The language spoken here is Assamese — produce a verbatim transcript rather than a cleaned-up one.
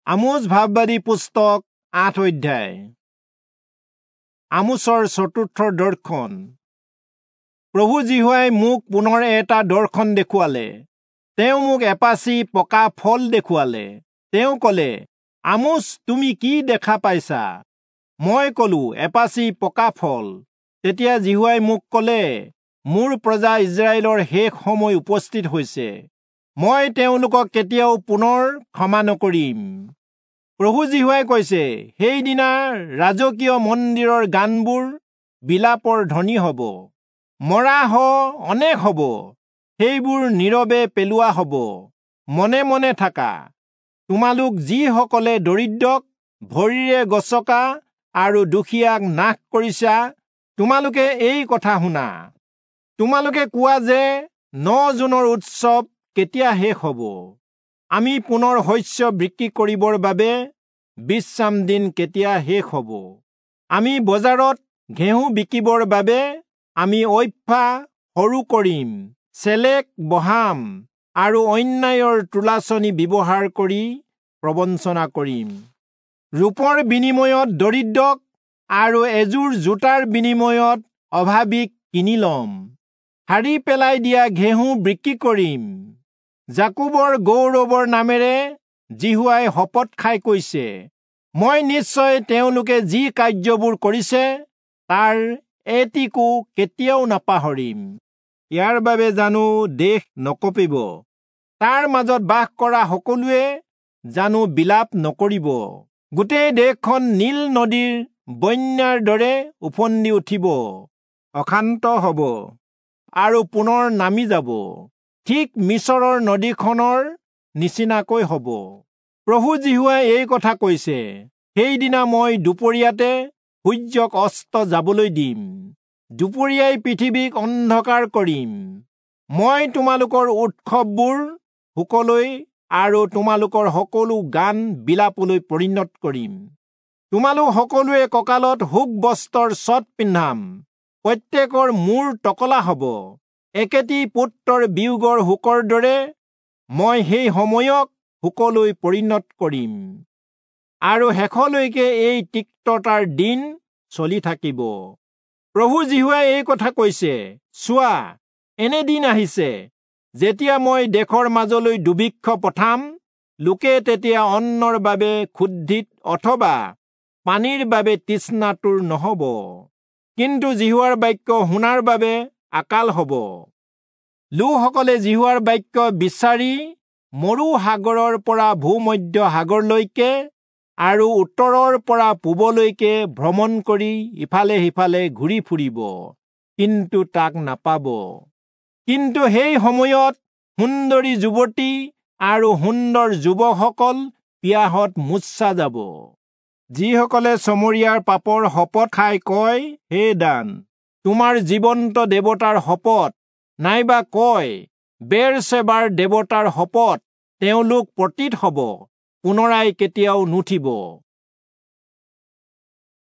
আমোচ ভাববাদী পুস্তক আঠ অধ্যায়। আমোচৰ চতুৰ্থ দৰ্শন। প্ৰভু যিহোৱাই মোক পুনৰ এটা দৰ্শন দেখুৱালে। তেওঁ মোক এপাচি পকা ফল দেখুৱালে। তেওঁ কলে, আমোচ, তুমি কি দেখা পাইছা? মই কলো, এপাচি পকা ফল। তেতিয়া যিহোৱাই মোক কলে, মোৰ প্ৰজা ইস্ৰায়েলৰ শেষ সময় উপস্থিত হৈছে। মই তেওঁলোকক কেতিয়াও পুনৰ ক্ষমা নকৰিম। প্ৰভু যিহোৱাই কৈছে, সেইদিনা ৰাজকীয় মন্দিৰৰ গানবোৰ বিলাপৰ ধ্বনি হব, মৰা শ অনেক হব, সেইবোৰ নীৰৱে পেলোৱা হব। মনে মনে থাকা, তোমালোক যিসকলে দৰিদ্ৰক ভৰিৰে গচকা আৰু দুখীয়াক নাশ কৰিছা, তোমালোকে এই কথা শুনা। তোমালোকে কোৱা যে ন জোনৰ উৎসৱ কেতিয়া শেষ হব? আমি পুনৰ শস্য বিক্ৰী কৰিবৰ বাবে বিশ্ৰাম দিন কেতিয়া শেষ হব? আমি বজাৰত ঘেঁহু বিকিবৰ বাবে আমি ঐফা সৰু কৰিম, চেলেক বঢ়াম আৰু অন্যায়ৰ তুলাচনী ব্যৱহাৰ কৰি প্ৰবঞ্চনা কৰিম। ৰূপৰ বিনিময়ত দৰিদ্ৰক আৰু এযোৰ জোতাৰ বিনিময়ত অভাৱীক কিনি লম। সাৰি পেলাই দিয়া ঘেঁহু বিক্ৰী কৰিম। যাকোবৰ গৌৰৱৰ নামেৰে যিহোৱাই শপত খাই কৈছে, মই নিশ্চয় তেওঁলোকে যি কাৰ্যবোৰ কৰিছে তাৰ এটিকো কেতিয়াও নাপাহৰিম। ইয়াৰ বাবে জানো দেশ নকঁপিব? তাৰ মাজত বাস কৰা সকলোৱে জানো বিলাপ নকৰিব? গোটেই দেশখন নীল নদীৰ বন্যাৰ দৰে ওফন্দি উঠিব, অশান্ত হব আৰু পুনৰ নামি যাব, ঠিক মিচৰৰ নদীখনৰ নিচিনাকৈ হব। প্ৰভু যিহোৱাই এই কথা কৈছে, সেইদিনা মই দুপৰীয়াতে সূৰ্যক অস্ত যাবলৈ দিম, দুপৰীয়াই পৃথিৱীক অন্ধকাৰ কৰিম। মই তোমালোকৰ উৎসৱবোৰ শোকলৈ আৰু তোমালোকৰ সকলো গান বিলাপলৈ পৰিণত কৰিম। তোমালোক সকলোৱে কঁকালত শোক বস্ত্ৰৰ চট পিন্ধাম, প্ৰত্যেকৰ মূৰ টকলা হব। একেটি পুত্ৰৰ বিয়োগৰ শোকৰ দৰে মই সেই সময়ক শোকলৈ পৰিণত কৰিম, আৰু শেষলৈকে এই তিক্ততাৰ দিন চলি থাকিব। প্ৰভু যিহোৱাই এই কথা কৈছে, চোৱা, এনে দিন আহিছে যেতিয়া মই দেশৰ মাজলৈ দুৰ্ভিক্ষ পঠাম। লোকে তেতিয়া অন্নৰ বাবে ক্ষুধিত অথবা পানীৰ বাবে তৃষ্ণাতুৰ নহব, কিন্তু যিহোৱাৰ বাক্য শুনাৰ বাবে আকাল হব। লোকসকলে যিহোৱাৰ বাক্য বিচাৰি মৰু সাগৰৰ পৰা ভূমধ্য সাগৰলৈকে আৰু উত্তৰৰ পৰা পূবলৈকে ভ্ৰমণ কৰি ইফালে সিফালে ঘূৰি ফুৰিব, কিন্তু তাক নাপাব। কিন্তু সেই সময়ত সুন্দৰী যুৱতী আৰু সুন্দৰ যুৱকসকল পিয়াহত মূৰ্ছা যাব। যিসকলে চমৰীয়াৰ পাপৰ শপত খাই কয়, হে দান, তোমাৰ জীৱন্ত দেৱতাৰ শপত, নাইবা কয়, বেৰচেবাৰ দেৱতাৰ শপত, তেওঁলোক পতিত হব, পুনৰাই কেতিয়াও নুঠিব।